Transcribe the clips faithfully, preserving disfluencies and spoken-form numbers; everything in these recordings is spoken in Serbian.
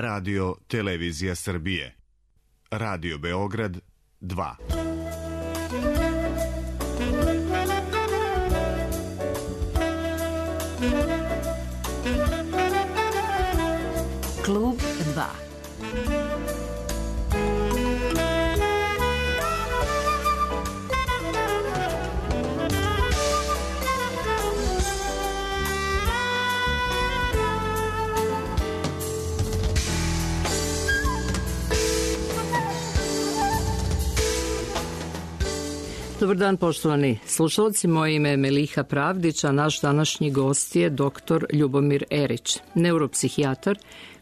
Radio Televizija Srbije. Radio Beograd dva. Klub dva. Dobar dan, poštovani slušalci. Moje ime je Meliha Pravdić, a naš današnji gost je doktor Ljubomir Erić, neuropsihijatar,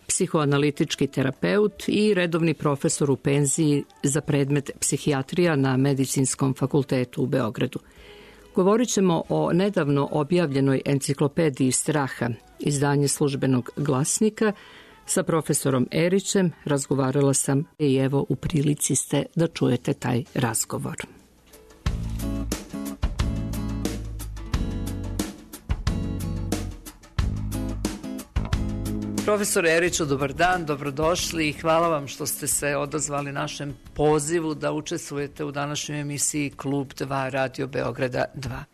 psihoanalitički terapeut i redovni profesor u penziji za predmet psihijatrija na Medicinskom fakultetu u Beogradu. Govorit ćemo o nedavno objavljenoj enciklopediji straha, izdanje Službenog glasnika. Sa profesorom Erićem razgovarala sam i evo u prilici ste da čujete taj razgovor. Profesor Eriću, dobar dan, dobrodošli i hvala vam što ste se odazvali našem pozivu da učestvujete u današnjoj emisiji Klub dva Radio Beograda dva.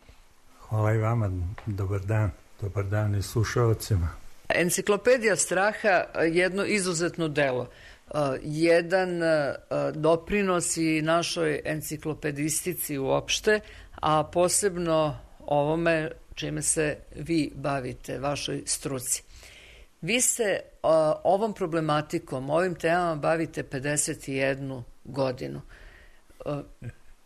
Hvala i vama, dobar dan, dobar dan i slušalcima. Enciklopedija straha jedno izuzetno delo, jedan doprinos i našoj enciklopedistici uopšte, a posebno ovome čime se vi bavite, vašoj struci. Vi se uh, ovom problematikom, ovim temama bavite pedeset jednu godinu. Uh,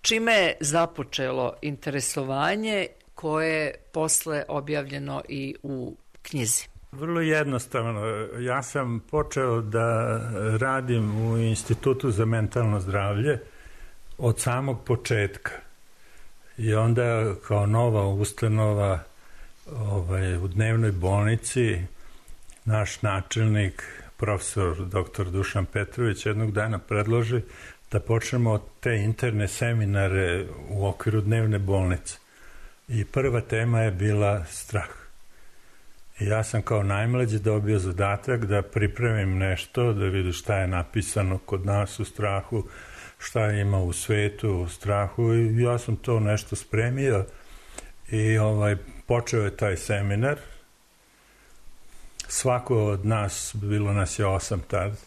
čime je započelo interesovanje koje je posle objavljeno i u knjizi? Vrlo jednostavno. Ja sam počeo da radim u Institutu za mentalno zdravlje od samog početka. I onda kao nova ustanova ovaj, u dnevnoj bolnici naš načelnik, profesor doktor Dušan Petrović, jednog dana predloži da počnemo te interne seminare u okviru dnevne bolnice. I prva tema je bila strah. I ja sam kao najmlađi dobio zadatak da pripremim nešto, da vidim šta je napisano kod nas u strahu, šta ima u svetu u strahu, i ja sam to nešto spremio i ovaj, počeo je taj seminar. Svako od nas, bilo nas je osam tad,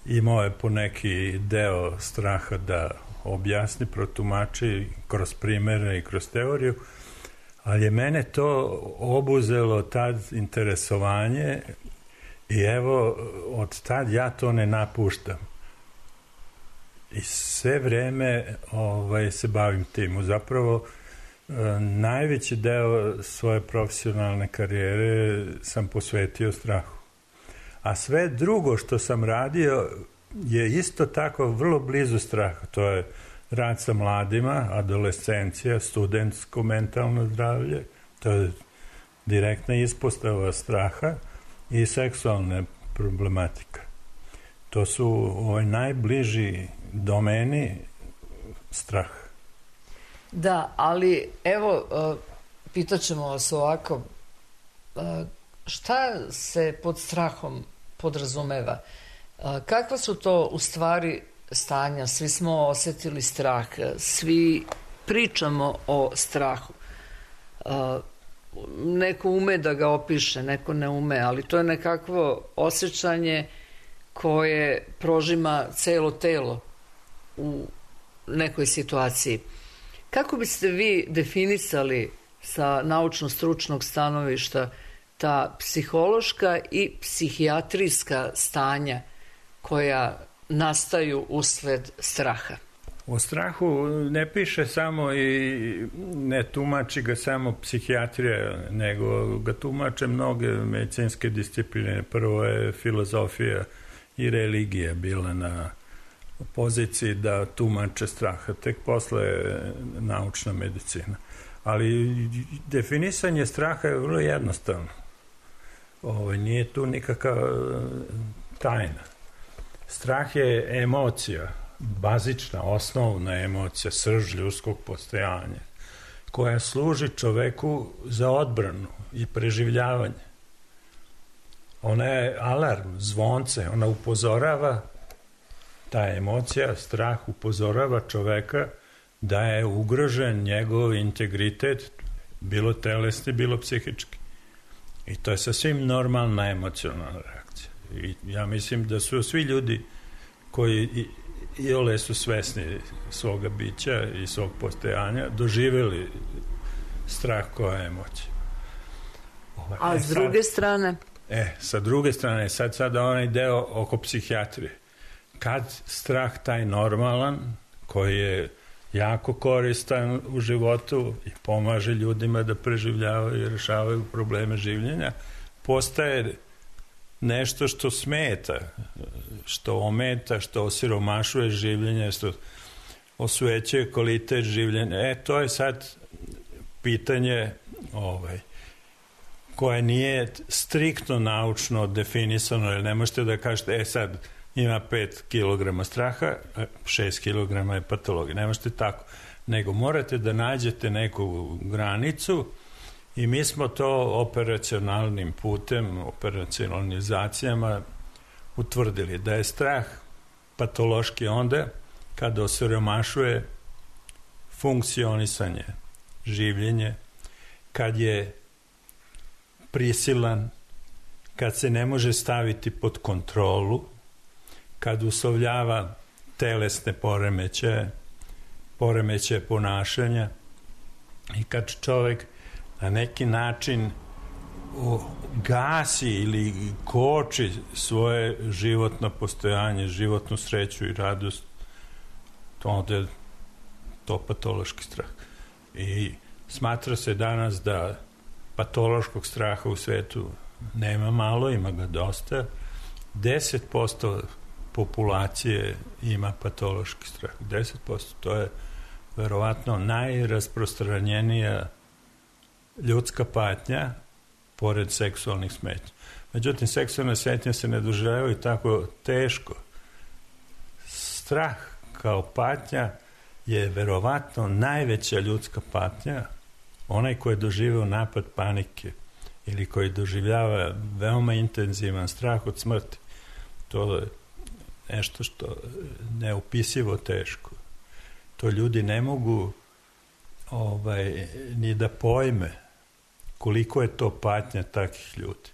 imao je po neki deo straha da objasni, protumači kroz primere i kroz teoriju, ali je mene to obuzelo tad interesovanje i evo od tad ja to ne napuštam. I sve vreme ovaj, se bavim tim. Zapravo najveći deo svoje profesionalne karijere sam posvetio strahu. A sve drugo što sam radio je isto tako vrlo blizu straha. To je rad sa mladima, adolescencija, studentsko mentalno zdravlje, to je direktna ispostava straha i seksualne problematika. To su ovaj najbliži domeni straha. Da, ali evo, pitat ćemo vas ovako, šta se pod strahom podrazumeva? Kakva su to u stvari stanja? Svi smo osetili strah, svi pričamo o strahu. Neko ume da ga opiše, neko ne ume, ali to je nekakvo osjećanje koje prožima celo telo u nekoj situaciji. Kako biste vi definisali sa naučno-stručnog stanovišta ta psihološka i psihijatrijska stanja koja nastaju usled straha? O strahu ne piše samo i ne tumači ga samo psihijatrija, nego ga tumače mnoge medicinske discipline. Prvo je filozofija i religija bila na poziciji da tumače straha, tek posle je naučna medicina. Ali definisanje straha je vrlo jednostavno. Ovo, nije tu nikakva tajna. Strah je emocija, bazična, osnovna emocija, srž ljudskog postojanja, koja služi čoveku za odbranu i preživljavanje. Ona je alarm, zvonce, ona upozorava, ta emocija, strah upozorava čoveka da je ugrožen njegov integritet, bilo telesni, bilo psihički. I to je sasvim normalna emocionalna reakcija. I ja mislim da su svi ljudi koji i, i ole su svesni svoga bića i svog postojanja doživjeli strah koja emocija. Ovaj, A e, s druge sad, strane? E, sa druge strane, sad sada onaj deo oko psihijatrije. Kad strah taj normalan, koji je jako koristan u životu i pomaže ljudima da preživljavaju i rešavaju probleme življenja, postaje nešto što smeta, što ometa, što osiromašuje življenje, što osvećuje kvalitet življenja. E, to je sad pitanje ovaj, koje nije striktno naučno definisano, jer ne možete da kažete, e sad, ima pet kilograma straha, šest kilograma je patologija. Ne možete tako. Nego morate da nađete neku granicu i mi smo to operacionalnim putem, operacionalizacijama utvrdili da je strah patološki onda kada osiromašuje funkcionisanje, življenje, kad je prisilan, kad se ne može staviti pod kontrolu, kad uslovljava telesne poremećaje, poremećaje ponašanja i kad čovjek na neki način gasi ili koči svoje životno postojanje, životnu sreću i radost, to onda je to patološki strah. I smatra se danas da patološkog straha u svetu nema malo, ima ga dosta. deset posto populacije ima patološki strah. deset posto, to je verovatno najrasprostranjenija ljudska patnja pored seksualnih smetnja. Međutim, seksualne smetnje se ne doživljavaju tako teško. Strah kao patnja je verovatno najveća ljudska patnja, onaj koji je doživio napad panike ili koji doživljava veoma intenzivan strah od smrti. To je nešto što neopisivo teško. To ljudi ne mogu ovaj, ni da pojme koliko je to patnja takvih ljudi.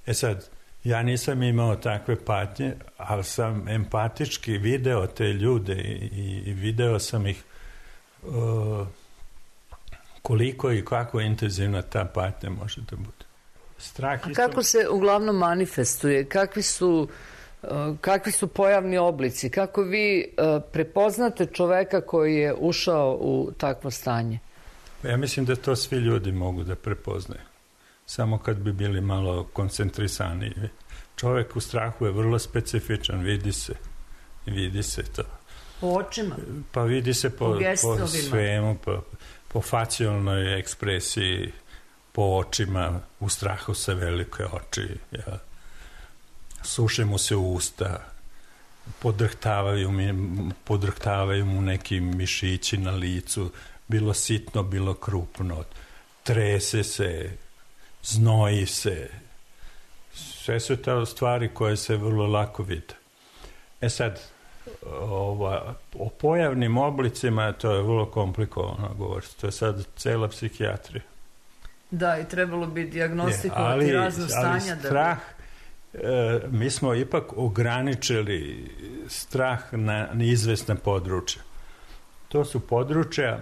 E sad, ja nisam imao takve patnje, ali sam empatički video te ljude i, i video sam ih uh, koliko i kako intenzivna ta patnja može da bude. Strah A kako se uglavnom manifestuje? Kakvi su, uh, kakvi su pojavni oblici? Kako vi uh, prepoznate čoveka koji je ušao u takvo stanje? Ja mislim da to svi ljudi mogu da prepoznaju. Samo kad bi bili malo koncentrisaniji. Čovjek u strahu je vrlo specifičan, vidi se. Vidi se to. Po očima? Pa vidi se po, po svemu, po, po facijalnoj ekspresiji, po očima, u strahu sa velike oči. Ja. Suše mu se usta, podrhtavaju, podrhtavaju mu neki mišići na licu, bilo sitno, bilo krupno. Trese se, znoji se. Sve su to stvari koje se vrlo lako vide. E sad, ova, o pojavnim oblicima to je vrlo komplikovano govoriti. To je sad cela psihijatrija. Da, i trebalo bi dijagnostikovati je, razno stanja. Ali strah, da bi... e, mi smo ipak ograničili strah na neizvesna područja. To su područja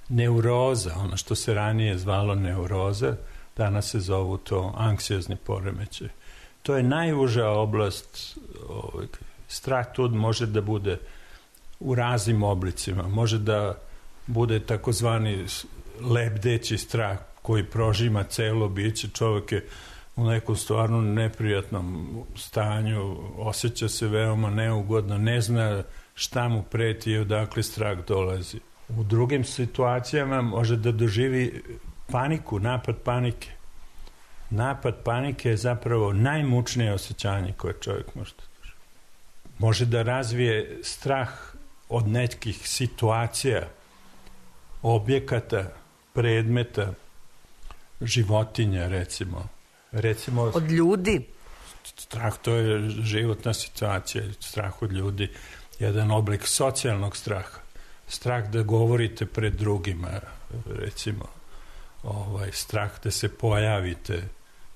neuroza, ono što se ranije zvalo neuroza, danas se zovu to anksiozni poremećaj. To je najuža oblast. Ovaj, strah tu može da bude u raznim oblicima. Može da bude takozvani lebdeći strah koji prožima celo biće. Čovjek je u nekom stvarno neprijatnom stanju, osjeća se veoma neugodno, ne zna šta mu preti i odakle strah dolazi. U drugim situacijama može da doživi paniku, napad panike. Napad panike je zapravo najmučnije osjećanje koje čovjek može da doživi. Može da razvije strah od nekih situacija, objekata, predmeta, životinja recimo, recimo... Od ljudi? Strah, to je životna situacija, strah od ljudi, jedan oblik socijalnog straha. Strah da govorite pred drugima, recimo, ovaj, strah da se pojavite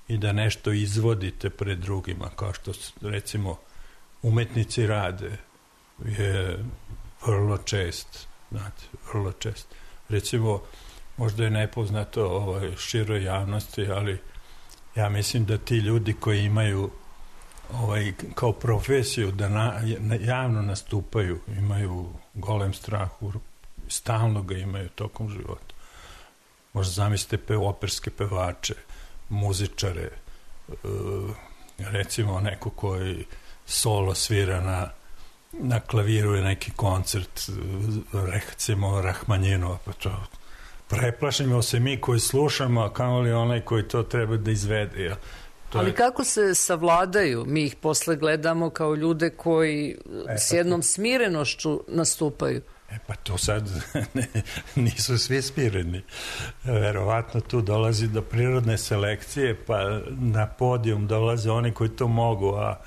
i da nešto izvodite pred drugima, kao što, recimo, umetnici rade, je vrlo čest, znate, vrlo čest. Recimo, možda je nepoznato ovaj, široj javnosti, ali ja mislim da ti ljudi koji imaju ovaj, kao profesiju da na, javno nastupaju, imaju golem strah, stalno ga imaju tokom života. Možda zamislite pe, operske pevače, muzičare, recimo neko koji solo svira na, na klaviru je neki koncert, recimo Rahmanjinova, pa to preplašimo se mi koji slušamo, a kamo li onaj koji to treba da izvede, jel? Ali je... kako se savladaju? Mi ih posle gledamo kao ljude koji e, s jednom smirenošću nastupaju. E pa to sad ne, nisu svi smireni. Verovatno tu dolazi do prirodne selekcije, pa na podijum dolaze oni koji to mogu, a,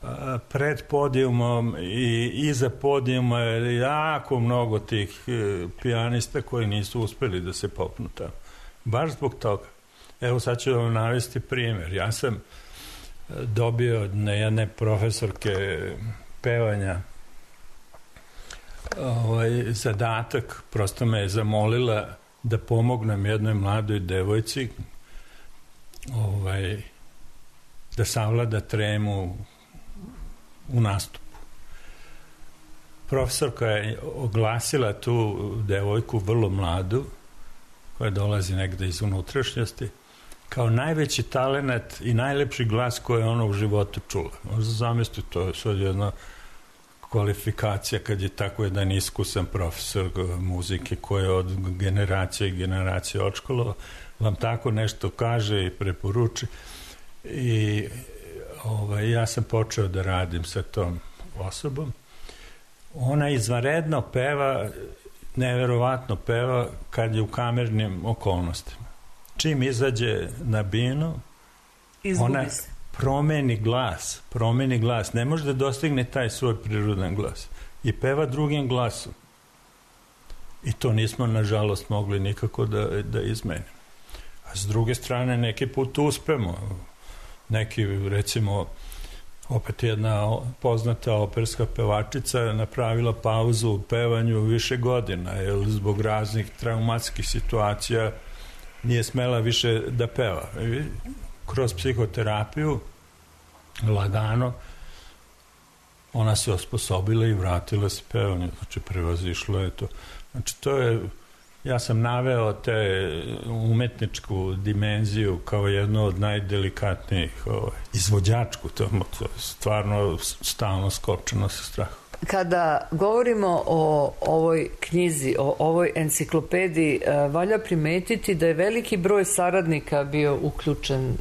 a pred podijumom i iza podijuma je jako mnogo tih pijanista koji nisu uspeli da se popnu tamo. Baš zbog toga. Evo sad ću vam navesti primjer. Ja sam dobio od jedne profesorke pevanja ovaj, zadatak, prosto me je zamolila da pomognem jednoj mladoj devojci ovaj, da savlada tremu u nastupu. Profesorka je oglasila tu devojku, vrlo mladu, koja dolazi negde iz unutrašnjosti, kao najveći talenat i najlepši glas koji je ona u životu čula. Možda zamislite, to je sad jedna kvalifikacija kad je tako jedan iskusan profesor muzike koji je od generacije i generacije odškolova, vam tako nešto kaže i preporuči. I ovaj, ja sam počeo da radim sa tom osobom. Ona izvanredno peva, neverovatno peva kad je u kamernim okolnostima. Čim izađe na binu, izgubi ona se. promeni glas, promeni glas, ne može da dostigne taj svoj prirodan glas i peva drugim glasom. I to nismo, nažalost, mogli nikako da, da izmenimo. A s druge strane, neki put uspemo. Neki, recimo, opet jedna poznata operska pevačica napravila pauzu u pevanju više godina, jer zbog raznih traumatskih situacija nije smela više da peva. I kroz psihoterapiju, lagano, ona se osposobila i vratila se pevanju. Znači, prevazišlo je to. Znači, to je, ja sam naveo te umetničku dimenziju kao jednu od najdelikatnijih, ovaj, izvođačku, to je stvarno stalno skočeno sa strahom. Kada govorimo o ovoj knjizi, o ovoj enciklopediji, valja primetiti da je veliki broj saradnika bio uključen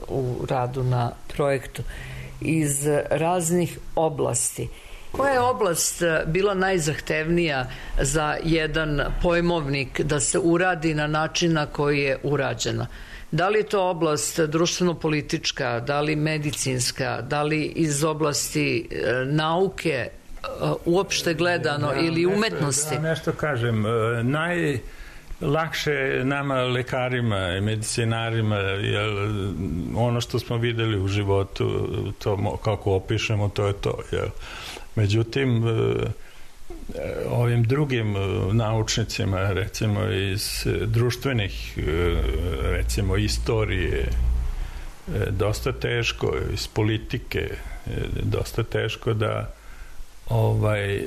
u radu na projektu iz raznih oblasti. Koja je oblast bila najzahtevnija za jedan pojmovnik da se uradi na način na koji je urađena? Da li je to oblast društveno-politička, da li medicinska, da li iz oblasti nauke, uopšte gledano, ja, ili nešto, umetnosti? Da, nešto kažem. Najlakše nama, lekarima i medicinarima, jer ono što smo videli u životu, to kako opišemo, to je to. Jel? Međutim, ovim drugim naučnicima, recimo iz društvenih, recimo istorije, dosta teško, iz politike, dosta teško da ovaj,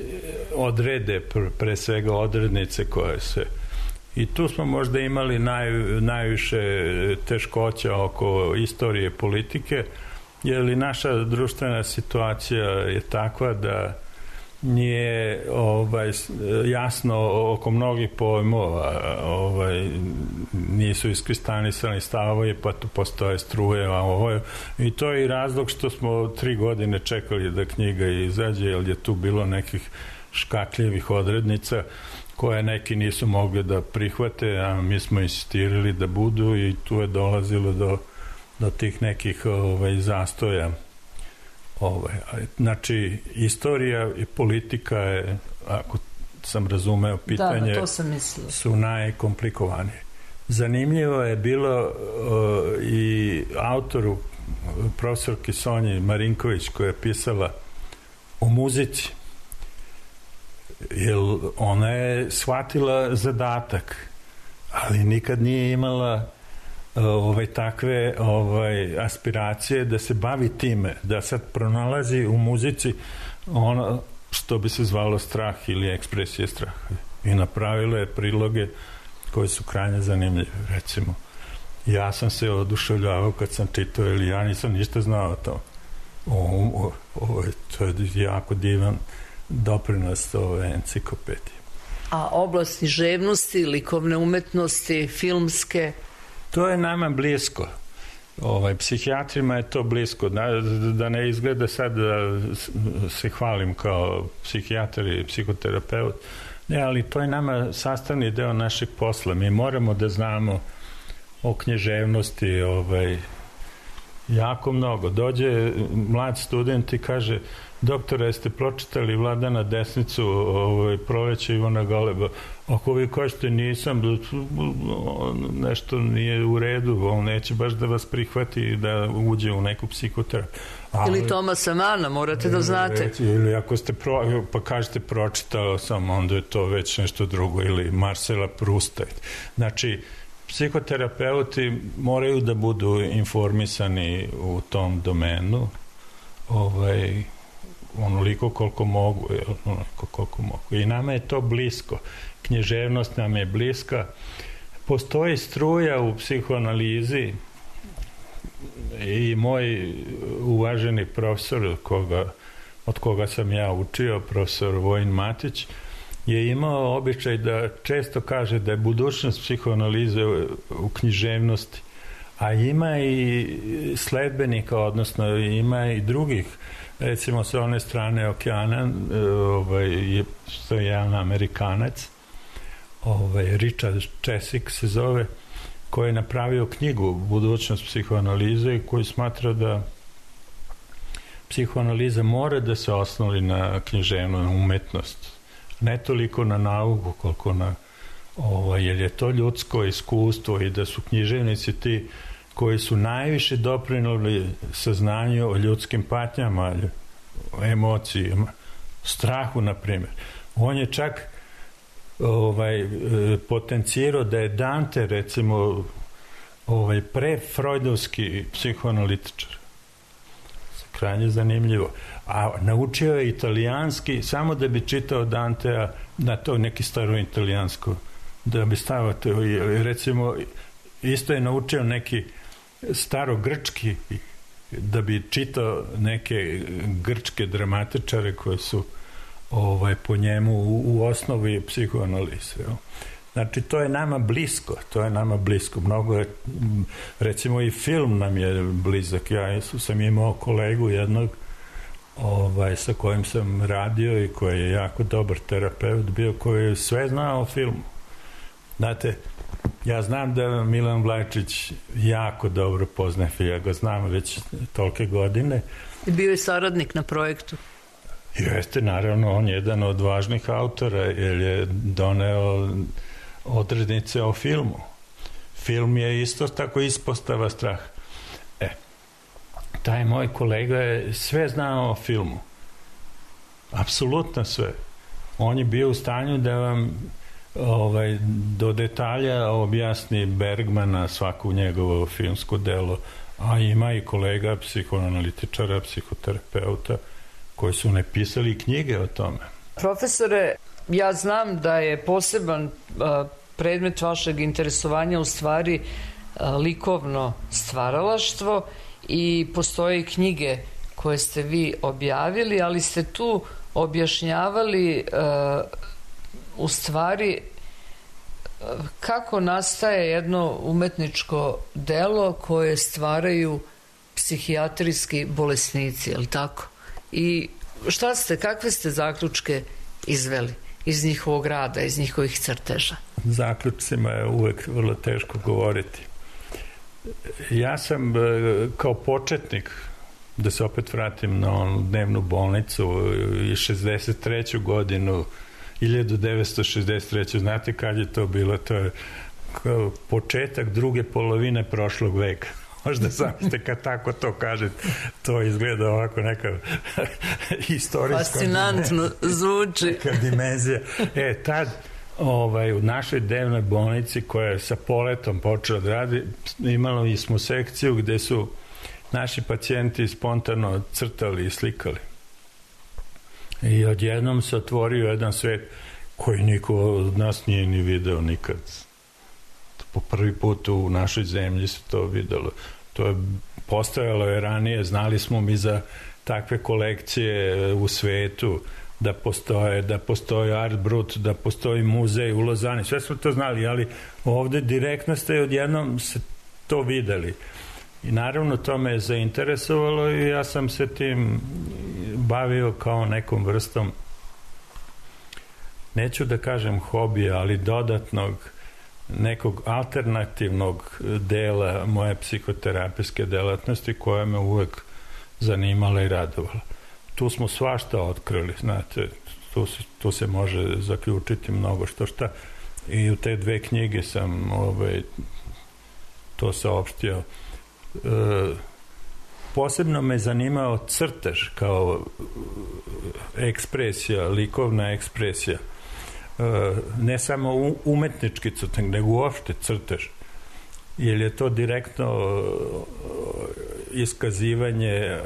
odrede pre svega odrednice koje se... I tu smo možda imali naj, najviše teškoća oko istorije politike, jer i naša društvena situacija je takva da nije ovaj, jasno oko mnogih pojmova, ovaj, nisu iskristalisani stavovi, pa tu postoje struje, a ovo je, i to je i razlog što smo tri godine čekali da knjiga izađe, jer je tu bilo nekih škakljivih odrednica koje neki nisu mogli da prihvate, a mi smo insistirali da budu, i tu je dolazilo do do tih nekih ovaj, zastoja. Ovaj, znači, istorija i politika je, ako sam razumeo pitanje, da, to sam mislila, su najkomplikovanije. Zanimljivo je bilo uh, i autoru, profesorki Sonji Marinković, koja je pisala o muzici, jer ona je shvatila zadatak, ali nikad nije imala uh, ovaj, takve ovaj, aspiracije da se bavi time, da sad pronalazi u muzici ono što bi se zvalo strah ili ekspresije straha. I napravila je priloge koje su krajnje zanimljive. Recimo, ja sam se oduševljavao kad sam čitao, ili ja nisam ništa znao o tom. Ovo, ovo, to je jako divan doprinos ove enciklopedije. A oblasti književnosti, likovne umetnosti, filmske? To je nama blisko. Ovaj, psihijatrima je to blisko. Da, da ne izgleda sad da se hvalim kao psihijatar i psihoterapeut. Ne, ali to je nama sastavni deo našeg posla. Mi moramo da znamo o književnosti ovaj, jako mnogo. Dođe mlad student i kaže: doktore, jeste pročitali Vladana Desnicu, ovaj, Proleće Ivana Galeba? Ako vi kažete nisam, nešto nije u redu, on neće baš da vas prihvati da uđe u neku psihoterapiju. Ili Tomasa Mana, morate da znate. Ili ako ste pro, pa kažete pročitao sam, onda je to već nešto drugo. Ili Marcela Prusta. Znači, psihoterapeuti moraju da budu informisani u tom domenu, ovaj, onoliko koliko mogu, onoliko koliko mogu. I nama je to blisko. Književnost nam je bliska. Postoji struja u psihoanalizi i moj uvaženi profesor koga, od koga sam ja učio, profesor Vojin Matić, je imao običaj da često kaže da je budućnost psihoanalize u književnosti, a ima i sledbenika, odnosno ima i drugih, recimo sa one strane okeana, ovaj, je jedan Amerikanac, ovaj, Richard Chesik se zove, koji je napravio knjigu Budućnost psihoanalize i koji smatra da psihoanaliza mora da se osnovi na književnu umetnost, ne toliko na nauku koliko na ovaj, jer je to ljudsko iskustvo i da su književnici ti koji su najviše doprinuli saznanju o ljudskim patnjama, o emocijama, strahu, na primjer. On je čak ovaj, potencirao da je Dante, recimo, ovaj, pre-freudovski psihoanalitičar. Krajnje zanimljivo. A naučio je italijanski samo da bi čitao Dantea na to neki staro italijansko, da bi stavio to, recimo, isto je naučio neki starogrčki da bi čitao neke grčke dramatičare koji su ovaj, po njemu u, u osnovi psihoanalize. Znači, to je nama blisko, to je nama blisko. Mnogo je, recimo i film nam je blizak. Ja sam imao kolegu jednog ovaj, sa kojim sam radio i koji je jako dobar terapeut bio, koji je sve znao o filmu. Znate, ja znam da Milan Vlajčić jako dobro poznaje film, ja ga znam već tolike godine. I bio je saradnik na projektu. Jeste, naravno, on je jedan od važnih autora, jer je doneo odrednice o filmu. Film je isto tako ispostava straha. E, taj moj kolega je sve znao o filmu. Apsolutno sve. On je bio u stanju da vam ovaj, do detalja objasni Bergmana, svaku njegovo filmsko delo, a ima i kolega psihoanalitičara, psihoterapeuta, koji su napisali knjige o tome. Profesore, ja znam da je poseban uh, predmet vašeg interesovanja u stvari uh, likovno stvaralaštvo i postoje knjige koje ste vi objavili, ali ste tu objašnjavali uh, u stvari uh, kako nastaje jedno umetničko delo koje stvaraju psihijatrijski bolesnici, je li tako? I šta ste, kakve ste zaključke izveli iz njihovog rada, iz njihovih crteža? Zaključcima je uvek vrlo teško govoriti. Ja sam kao početnik, da se opet vratim na onu dnevnu bolnicu i šezdeset treću godinu, hiljadu devetsto šezdeset treću znate kad je to bilo? To je početak druge polovine prošlog veka. Možda zamislite kad tako to kažete, to izgleda ovako neka istorijska fascinantno zvuči neka dimenzija. E, tad ovaj, u našoj dnevnoj bolnici koja je sa poletom počela da radi, imali smo sekciju gde su naši pacijenti spontano crtali i slikali. I odjednom se otvorio jedan svet koji niko od nas nije ni video nikad. Po prvi put u našoj zemlji se to videlo. To je postojalo je ranije, znali smo mi za takve kolekcije u svetu, da postoje, da postoji Art Brut, da postoji muzej u Lozani, sve smo to znali, ali ovde direktno ste odjednom se to videli. I naravno to me je zainteresovalo i ja sam se tim bavio kao nekom vrstom, neću da kažem hobija, ali dodatnog nekog alternativnog dela moje psihoterapijske delatnosti koja me uvek zanimala i radovala. Tu smo svašta otkrili, znate, tu se, tu se može zaključiti mnogo što šta i u te dve knjige sam ovaj, to saopštio. E, posebno me zanimao crtež kao ekspresija, likovna ekspresija. Ne samo umetnički crtež, nego uopšte crtež. Jer je to direktno iskazivanje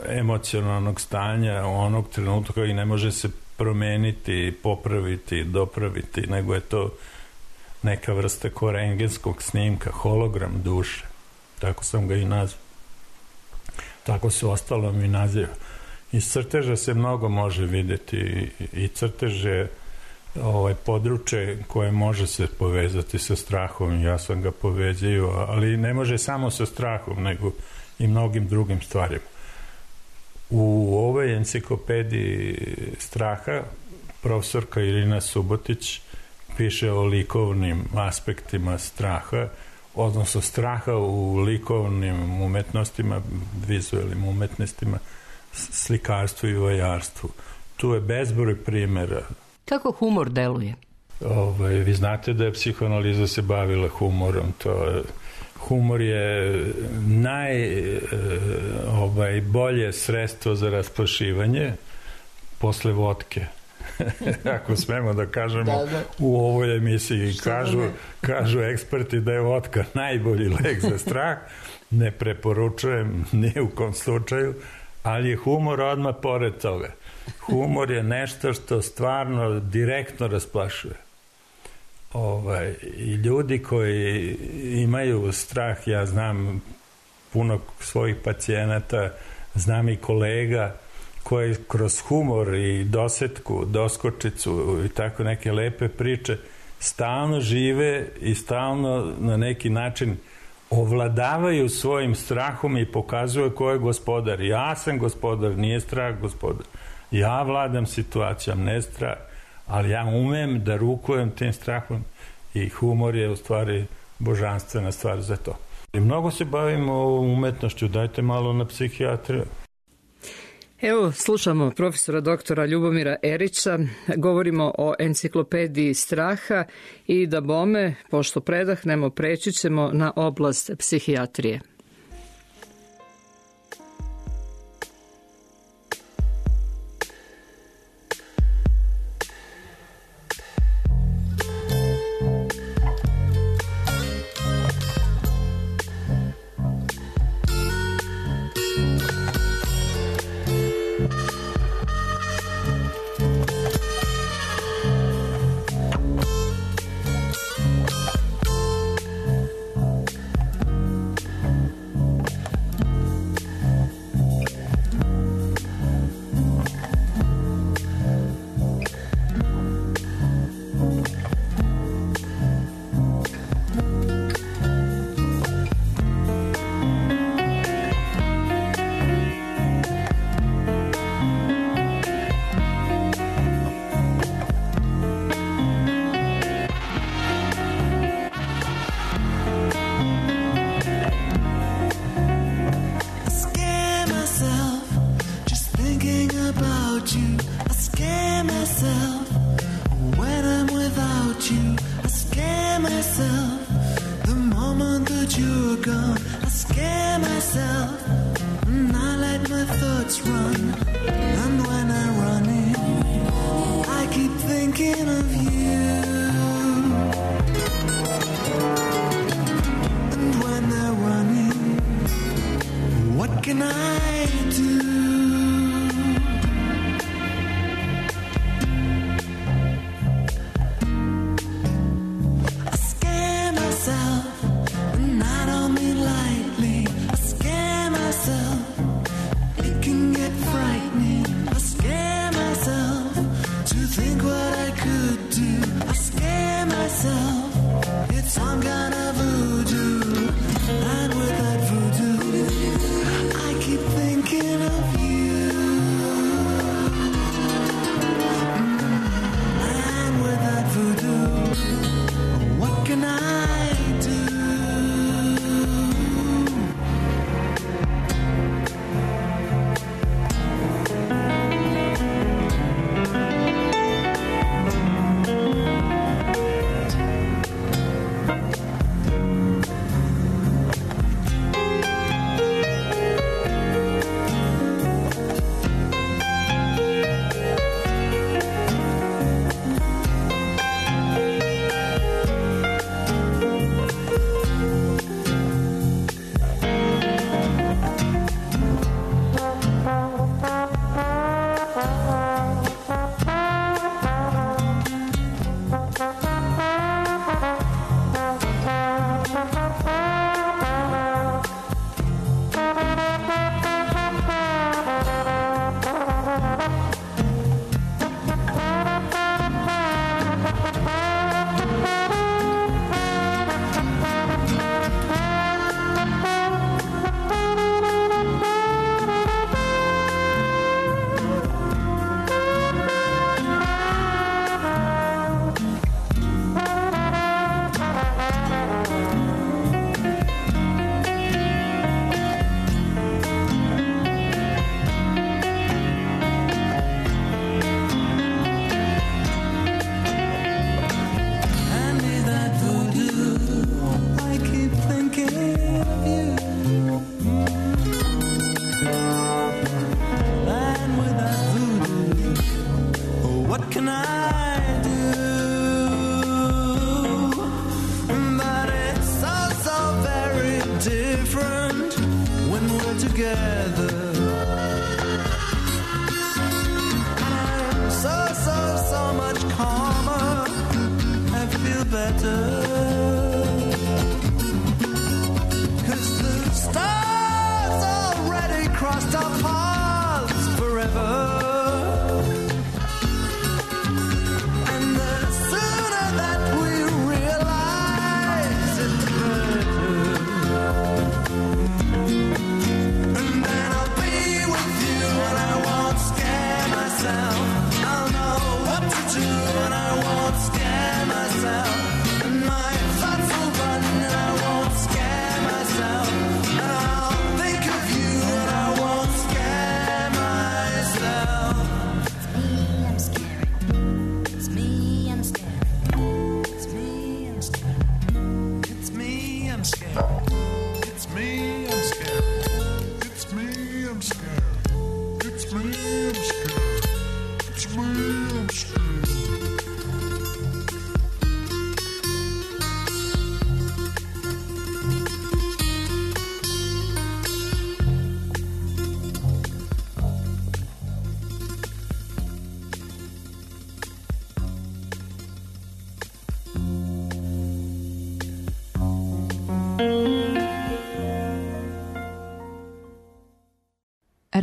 emocionalnog stanja onog trenutka i ne može se promeniti, popraviti, dopraviti, nego je to neka vrsta ko rentgenskog snimka, hologram duše. Tako sam ga i nazvao. Tako se ostalo mi naziva. Iz crteža se mnogo može videti i crtež je ovaj područje koje može se povezati sa strahom, ja sam ga povezio, ali ne može samo sa strahom, nego i mnogim drugim stvarima. U ovoj enciklopediji straha profesorka Irina Subotić piše o likovnim aspektima straha, odnosno straha u likovnim umetnostima, vizualnim umetnostima, slikarstvu i vajarstvu. Tu je bezbroj primjera. Kako humor deluje? Ovaj, vi znate da je psihoanaliza se bavila humorom. To, humor je naj ovaj, bolje sredstvo za rasplašivanje posle vodke. Ako smemo da kažemo da, da. U ovoj emisiji kažu, kažu eksperti da je vodka najbolji lek za strah. Ne preporučujem ni u kom slučaju, ali je humor odmah pored toga. Humor je nešto što stvarno direktno rasplašuje. Ovaj, i ljudi koji imaju strah, ja znam puno svojih pacijenata, znam i kolega koji kroz humor i dosetku, doskočicu i tako neke lepe priče stalno žive i stalno na neki način ovladavaju svojim strahom i pokazuju ko je gospodar. Ja sam gospodar, nije strah gospodar. Ja vladam situacijom, ne strah, ali ja umem da rukujem tim strahom i humor je u stvari božanstvena stvar za to. I mnogo se bavimo umetnošću, dajte malo na psihijatriju. Evo, slušamo profesora doktora Ljubomira Erića, govorimo o enciklopediji straha i da bome, pošto predahnemo, preći ćemo na oblast psihijatrije. you, I scare myself. When I'm without you, I scare myself. The moment that you're gone, I scare myself. And I let my thoughts run. And when I run in, I keep thinking of you. And when they're running, what can I do? I scare myself, and I don't mean lightly. I scare myself, it can get frightening. I scare myself to think what I could do. I scare myself, it's some kind of voodoo. And with that voodoo, I keep thinking of you. And with that voodoo, what can I do?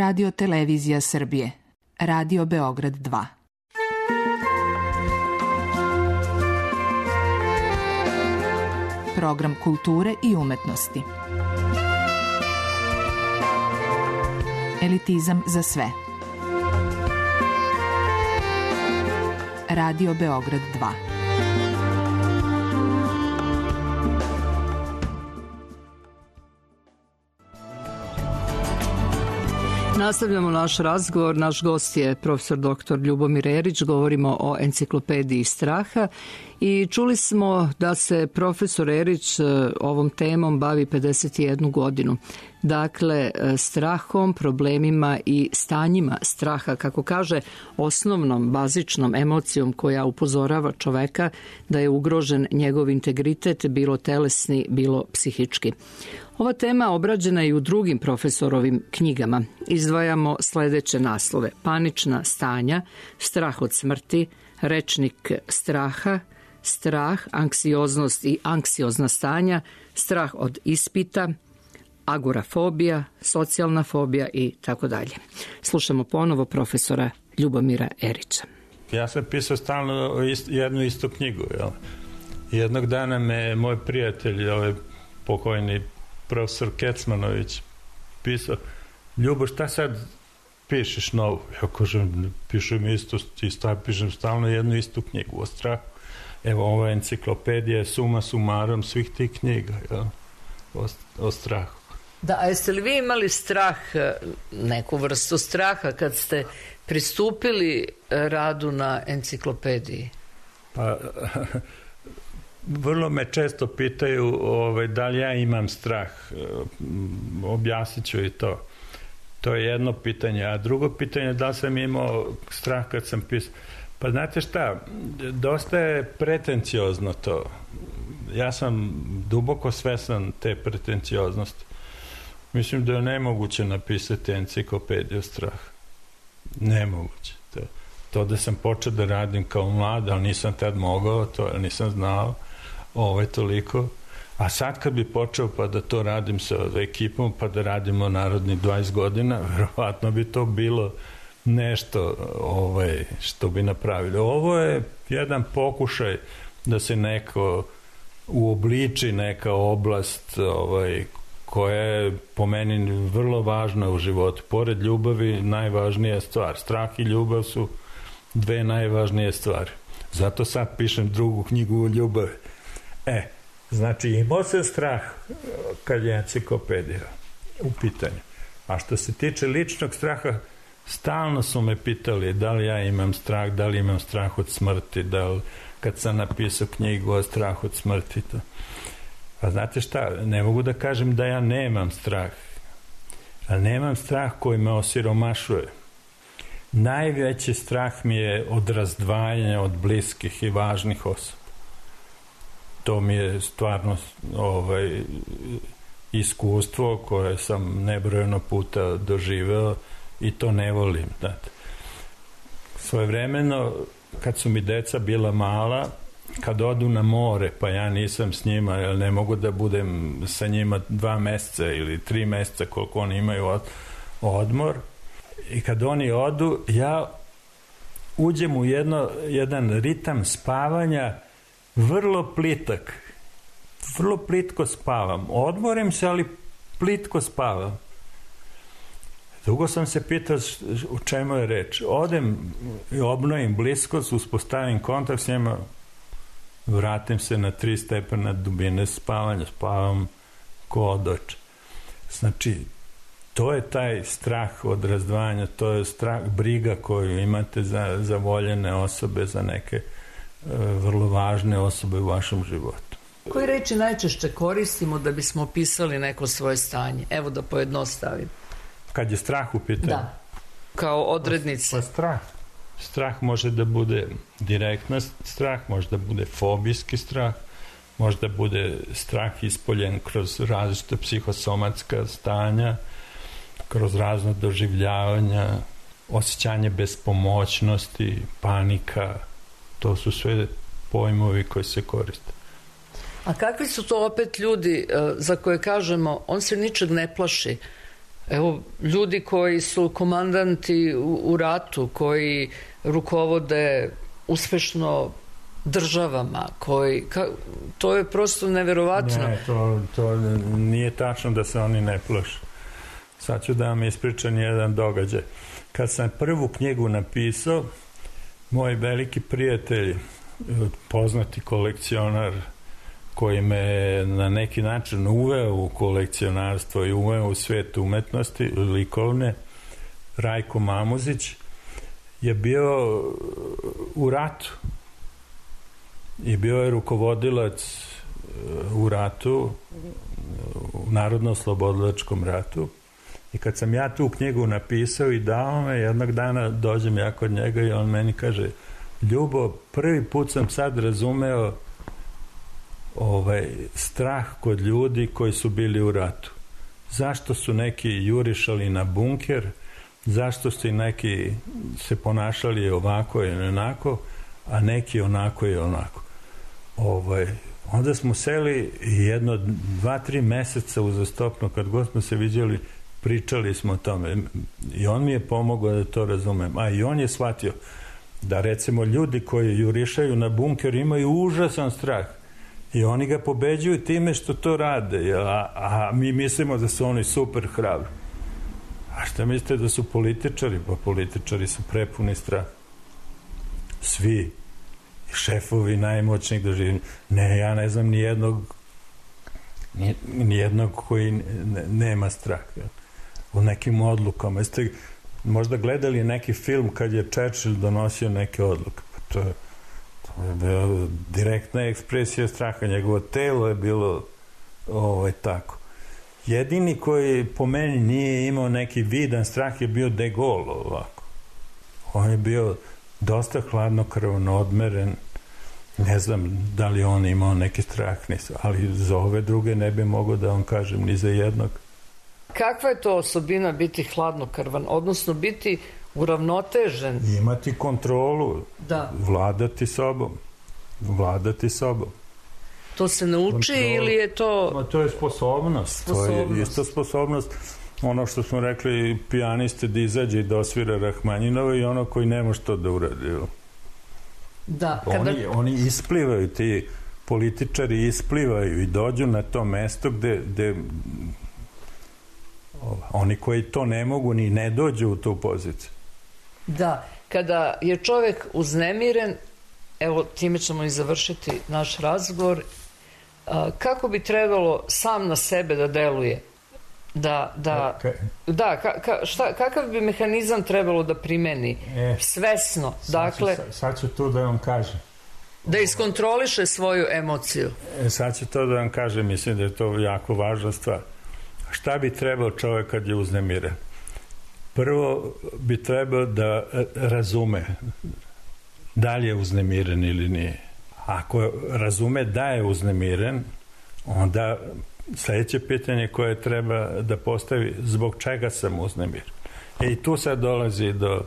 Radio Televizija Srbije. Radio Beograd dva. Program kulture i umetnosti. Elitizam za sve. Radio Beograd dva. Nastavljamo naš razgovor. Naš gost je profesor doktor Ljubomir Erić. Govorimo o enciklopediji straha i čuli smo da se profesor Erić ovom temom bavi pedeset jednu godinu. Dakle, strahom, problemima i stanjima straha, kako kaže, osnovnom, bazičnom emocijom koja upozorava čoveka da je ugrožen njegov integritet, bilo telesni, bilo psihički. Ova tema obrađena je i u drugim profesorovim knjigama. Izdvajamo sledeće naslove: Panična stanja, Strah od smrti, Rečnik straha, Strah, anksioznost i anksiozna stanja, Strah od ispita, agorafobija, socijalna fobija i tako dalje. Slušamo ponovo profesora Ljubomira Erića. Ja sam pisao stalno jednu istu knjigu. Jel? Jednog dana me moj prijatelj, ovaj pokojni profesor Kecmanović, pisao: Ljubo, šta sad pišeš novu? Ja kažem, pišem isto, isto pišem stalno jednu istu knjigu o strahu. Evo, ova enciklopedija je suma sumarom svih tih knjiga, jel? O, o strahu. Da, a jeste li vi imali strah, neku vrstu straha kad ste pristupili radu na enciklopediji? Pa, vrlo me često pitaju ovaj, da li ja imam strah. Objasnit ću i to. To je jedno pitanje. A drugo pitanje je da li sam imao strah kad sam pisao. Pa znate šta, dosta je pretenciozno to. Ja sam duboko svestan te pretencioznosti. Mislim da je nemoguće napisati enciklopediju straha. Nemoguće. To, to da sam počeo da radim kao mlad, ali nisam tad mogao, to nisam znao ovaj toliko. A sad kad bi počeo pa da to radim sa ekipom, pa da radimo narodni dvadeset godina, verovatno bi to bilo nešto ovaj, što bi napravili. Ovo je jedan pokušaj da se neko uobliči neka oblast ovaj, koja je po meni vrlo važna u životu. Pored ljubavi najvažnija stvar. Strah i ljubav su dve najvažnije stvari. Zato sad pišem drugu knjigu o ljubavi. E, znači imao se strah kad je enciklopedija u pitanju. A što se tiče ličnog straha, stalno su me pitali da li ja imam strah, da li imam strah od smrti, da li kad sam napisao knjigu o strahu od smrti. To. Pa znate šta, ne mogu da kažem da ja nemam strah, ali nemam strah koji me osiromašuje. Najveći strah mi je od razdvajanja od bliskih i važnih osoba. To mi je stvarno ovaj, iskustvo koje sam nebrojeno puta doživeo i to ne volim. Znate. Svojevremeno, kad su mi deca bila mala, kad odu na more, pa ja nisam s njima, jer ne mogu da budem sa njima dva meseca ili tri meseca koliko oni imaju od, odmor, i kad oni odu, ja uđem u jedno, jedan ritam spavanja vrlo plitak, vrlo plitko spavam. Odmorim se, ali plitko spavam. Dugo sam se pitao u čemu je reč. Odem i obnovim bliskost, uspostavim kontakt s njima, vratim se na tri stepena dubine spavanja, spavam ko odoč. Znači, to je taj strah od razdvajanja, to je strah, briga koju imate za, za voljene osobe, za neke e, vrlo važne osobe u vašem životu. Koje reči najčešće koristimo da bismo opisali neko svoje stanje? Evo da pojednostavim. Kad je strah u pitanju? Da, kao odrednice. Pa strah. Strah može da bude direktna strah, može da bude fobijski strah, može da bude strah ispoljen kroz različite psihosomatska stanja, kroz razno doživljavanja, osjećanje bespomoćnosti, panika. To su sve pojmovi koji se koriste. A kakvi su to opet ljudi za koje kažemo on se ničeg ne plaši? Evo, ljudi koji su komandanti u, u ratu, koji rukovode uspešno državama, koji, ka, to je prosto neverovatno. Ne, to, to nije tačno da se oni ne plaše. Sad ću da vam ispričam jedan događaj. Kad sam prvu knjigu napisao, moj veliki prijatelj, poznati kolekcionar, koji me na neki način uveo u kolekcionarstvo i uveo u svijet umetnosti likovne, Rajko Mamuzić, je bio u ratu i bio je rukovodilac u ratu, u Narodno-oslobodilačkom ratu. I kad sam ja tu knjigu napisao i dao me, jednog dana dođem ja kod njega i on meni kaže: Ljubo, prvi put sam sad razumeo ovaj strah kod ljudi koji su bili u ratu. Zašto su neki jurišali na bunker, zašto su neki se ponašali ovako i onako, a neki onako i onako. Ovaj, onda smo seli jedno, dva, tri meseca uzastopno, kad god smo se viđali, pričali smo o tome i on mi je pomogao da to razumem. A i on je shvatio da recimo ljudi koji jurišaju na bunker imaju užasan strah i oni ga pobeđuju time što to rade, a, a mi mislimo da su oni super hrabri. A šta mislite da su političari? Pa političari su prepuni strah. Svi. Šefovi najmoćnijih doživljenja. Ne, ja ne znam ni jednog ni jednog koji ne, nema strah. U nekim odlukama. Jeste možda gledali neki film kad je Churchill donosio neke odluke? Pa to je, to je bila direktna ekspresija straha. Njegovo telo je bilo ovaj, tako. Jedini koji po meni nije imao neki vidan strah je bio De Gaulle ovako. On je bio dosta hladnokrvan, odmeren. Ne znam da li on imao neki strah, ali za ove druge ne bi mogao da vam kažem ni za jednog. Kakva je to osobina biti hladnokrvan, odnosno biti uravnotežen? Imati kontrolu, da. Vladati sobom, vladati sobom. To se nauči kontrolu. Ili je to... Ma, to je sposobnost, sposobnost, to je isto sposobnost. Ono što smo rekli, pijaniste da izađe i da osvira Rahmaninovo i ono koji nema što da uradi. Da, kada... Oni, oni isplivaju, ti političari isplivaju i dođu na to mesto gde, gde oni koji to ne mogu ni ne dođu u tu poziciju. Da, kada je čovjek uznemiren, evo time ćemo i završiti naš razgovor, kako bi trebalo sam na sebe da deluje? Da, da, okay. da ka, ka, šta, kakav bi mehanizam trebalo da primeni? E, svesno, sad dakle... Ću, sad ću tu da vam kažem. Da iskontroliše svoju emociju. E, sad ću to da vam kažem, mislim da je to jako važna stvar. Šta bi trebao čovjek kad je uznemiren? Prvo bi trebao da razume da li je uznemiren ili nije. Ako razume da je uznemiren, onda sljedeće pitanje koje treba da postavi, zbog čega sam uznemiren. E i tu sad dolazi do...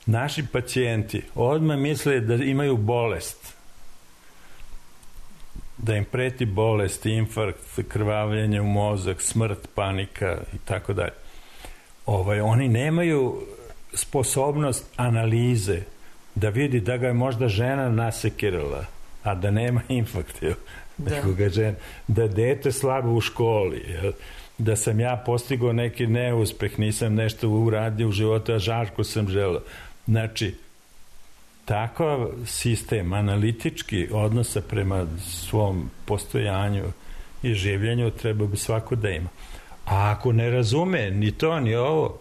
Naši pacijenti odmah misle da imaju bolest, da im preti bolest, infarkt, krvavljenje u mozak, smrt, panika i tako dalje. Ovaj, oni nemaju sposobnost analize da vidi da ga je možda žena nasekirala, a da nema infarkt, da. Žena, da dete slabo u školi, jel? Da sam ja postigao neki neuspeh, nisam nešto uradio u životu, a žarko sam želeo. Znači, takav sistem analitički odnosa prema svom postojanju i življenju treba bi svako da ima. A ako ne razume ni to, ni ovo,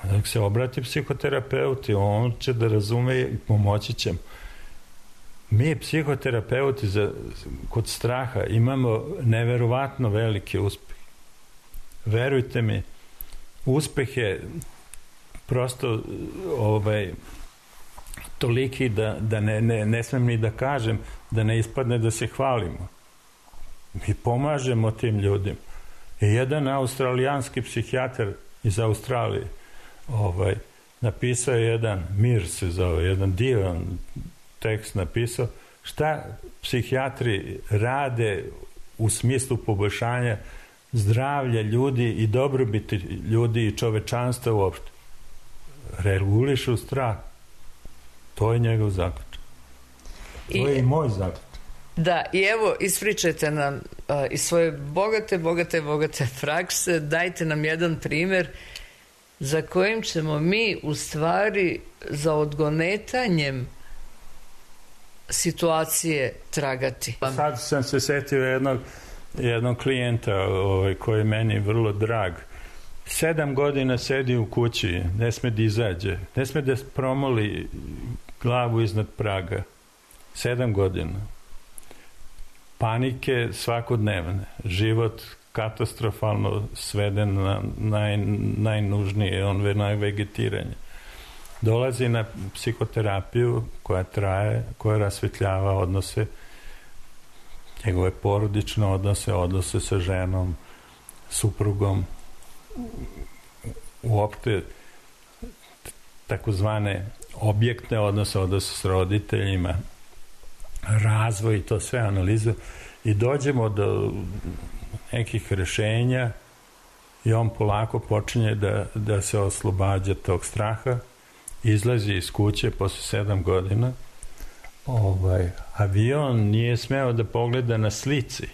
onda se obrati psihoterapeuti, on će da razume i pomoći će mu. Mi, psihoterapeuti, za, kod straha imamo neverovatno velike uspehe. Verujte mi, uspeh je prosto ovaj, toliki da, da ne, ne, ne smem ni da kažem, da ne ispadne da se hvalimo. Mi pomažemo tim ljudima. I jedan australijanski psihijatar iz Australije ovaj, napisao je jedan, Mir se zove, jedan divan tekst napisao, šta psihijatri rade u smislu poboljšanja zdravlja ljudi i dobrobiti ljudi i čovečanstva uopšte. Regulišu strah. To je njegov zaključak. To je i moj zaključak. Da, i evo, ispričajte nam uh, iz svoje bogate, bogate, bogate prakse, dajte nam jedan primjer za kojim ćemo mi u stvari za odgonetanjem situacije tragati. Sad sam se setio jednog, jednog klijenta ovaj, koji je meni vrlo drag. Sedam godina sedi u kući, ne sme da izađe, ne sme da promoli glavu iznad praga. Sedam godina. Panike svakodnevne. Život katastrofalno sveden na naj, najnužnije, on ve najvegetiranje. Dolazi na psihoterapiju koja traje, koja rasvetljava odnose, njegove porodične odnose, odnose sa ženom, suprugom, uopšte takozvane objektne odnose, odnose s roditeljima, razvoj i to sve analizu i dođemo do nekih rešenja i on polako počinje da, da se oslobađa tog straha, izlazi iz kuće posle sedam godina. Ovaj, avion nije smeo da pogleda na slici.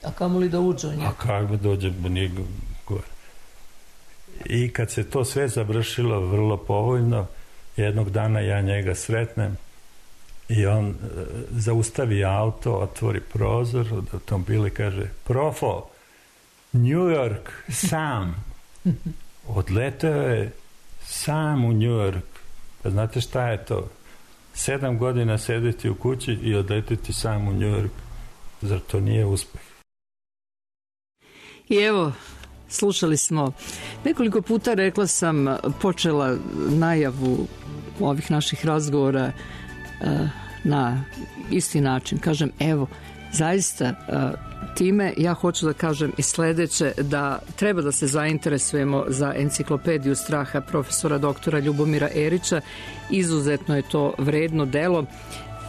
A kamo li da uđe u njega? A kako dođe nije gore. I kad se to sve završilo vrlo povoljno, jednog dana ja njega sretnem i on uh, zaustavi auto, otvori prozor od automobila i kaže: Profo, New York, sam. Odleteo je sam u New York. Pa znate šta je to? Sedam godina sedeti u kući i odleteti sam u New York. Zar to nije uspeh? I evo, slušali smo nekoliko puta, rekla sam, počela najavu ovih naših razgovora na isti način. Kažem, evo, zaista time ja hoću da kažem i sledeće, da treba da se zainteresujemo za enciklopediju straha profesora doktora Ljubomira Erića. Izuzetno je to vredno delo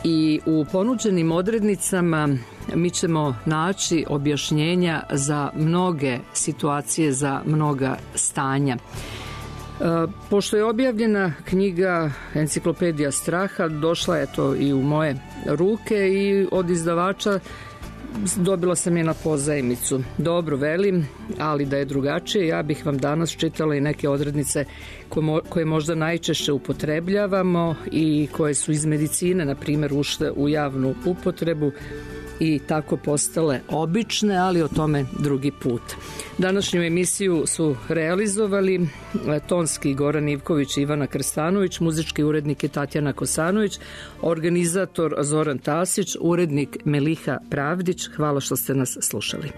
i u ponuđenim odrednicama mi ćemo naći objašnjenja za mnoge situacije, za mnoga stanja. Pošto je objavljena knjiga Enciklopedija straha, došla je to i u moje ruke i od izdavača dobila sam je na pozajmicu. Dobro, velim, ali da je drugačije, ja bih vam danas čitala i neke odrednice koje možda najčešće upotrebljavamo i koje su iz medicine, na primjer, ušle u javnu upotrebu i tako postale obične, ali o tome drugi put. Današnju emisiju su realizovali tonski Goran Ivković i Ivana Krstanović, muzički urednik je Tatjana Kosanović, organizator Zoran Tasić, urednik Meliha Pravdić. Hvala što ste nas slušali.